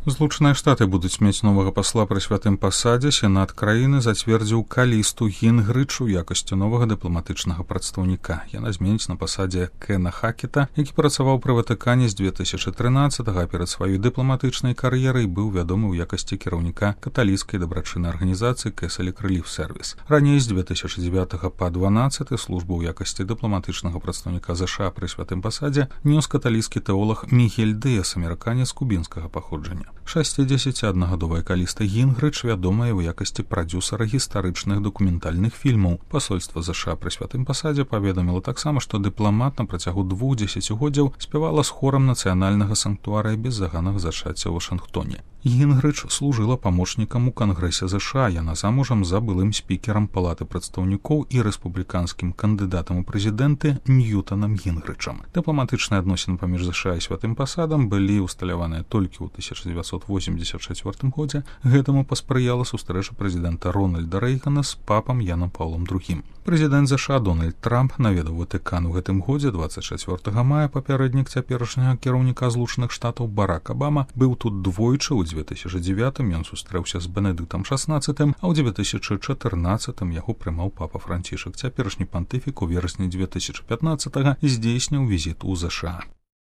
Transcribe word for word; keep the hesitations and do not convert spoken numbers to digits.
Злучаныя Штаты будуць мець новага пасла пры святым пасадзе. Сенат краіны зацвердзіў Калісту Гінгрыч у якасці новага дыпламатычнага прадстаўніка. Яна зменіць на пасадзе Кена Хакета, які працаваў пры Ватыкане з дзве тысячы трынаццатага, а перад сваёй дыпламатычнай кар'ерай быў вядомы ў якасці кіраўніка каталіцкай дабрачыннай арганізацыі Кэсалік Рэліф Сервіс. Раней з дзве тысячы дзевятага па дванаццаты службу ў якасці дыпламатычнага прадстаўніка ЗША пры святым пасадзе нёс каталіцкі тэолаг Мігель Дыас, амерыканец кубінскага паходжання. шэсцідзесяціаднагадовая Каліста Гінгрыч вядомая ў якасці прадзюсара гістарычных дакументальных фільмаў. Пасольства ЗША пры святым пасадзе паведаміла таксама, што дыпламат на працягу двух дзесяцігоддзяў спявала з хорам нацыянальнага санктуарыя без заганах зачацця ў Вашынгтоне. Гінгрыч служыла памочнікам у Кангрэсе ЗША. Яна замужам за былым спікерам Палаты прадстаўнікоў і рэспубліканскім кандыдатам у прэзідэнты Ньютанам Гінгрычам. Дыпламатычныя адносіны паміж ЗША і святым пасадам былі ўсталяваныя толькі ў тысяча дзевяцьсот восемьдесят чацвёртым годзе. Гэтаму паспрыяла сустрэча прэзідэнта Рональда Рэйгана з папам Янам Паўлам другім. Прэзідэнт ЗША Дональд Трамп наведаў Ватыкан у гэтым годзе. дваццаць чацвёртага мая папярэднік цяперашняга кіраўніка Злучаных Штатаў Барак Абама быў тут двойчы. У дзве тысячы дзевятым ён сустрэўся з Бенедыктам шаснаццатым, а ў дзве тысячы чатырнаццатым яго прымаў папа Францішак. Цяперашні пантыфік у верасні дзве тысячы пятнаццатага здзейсніў візіт у ЗША.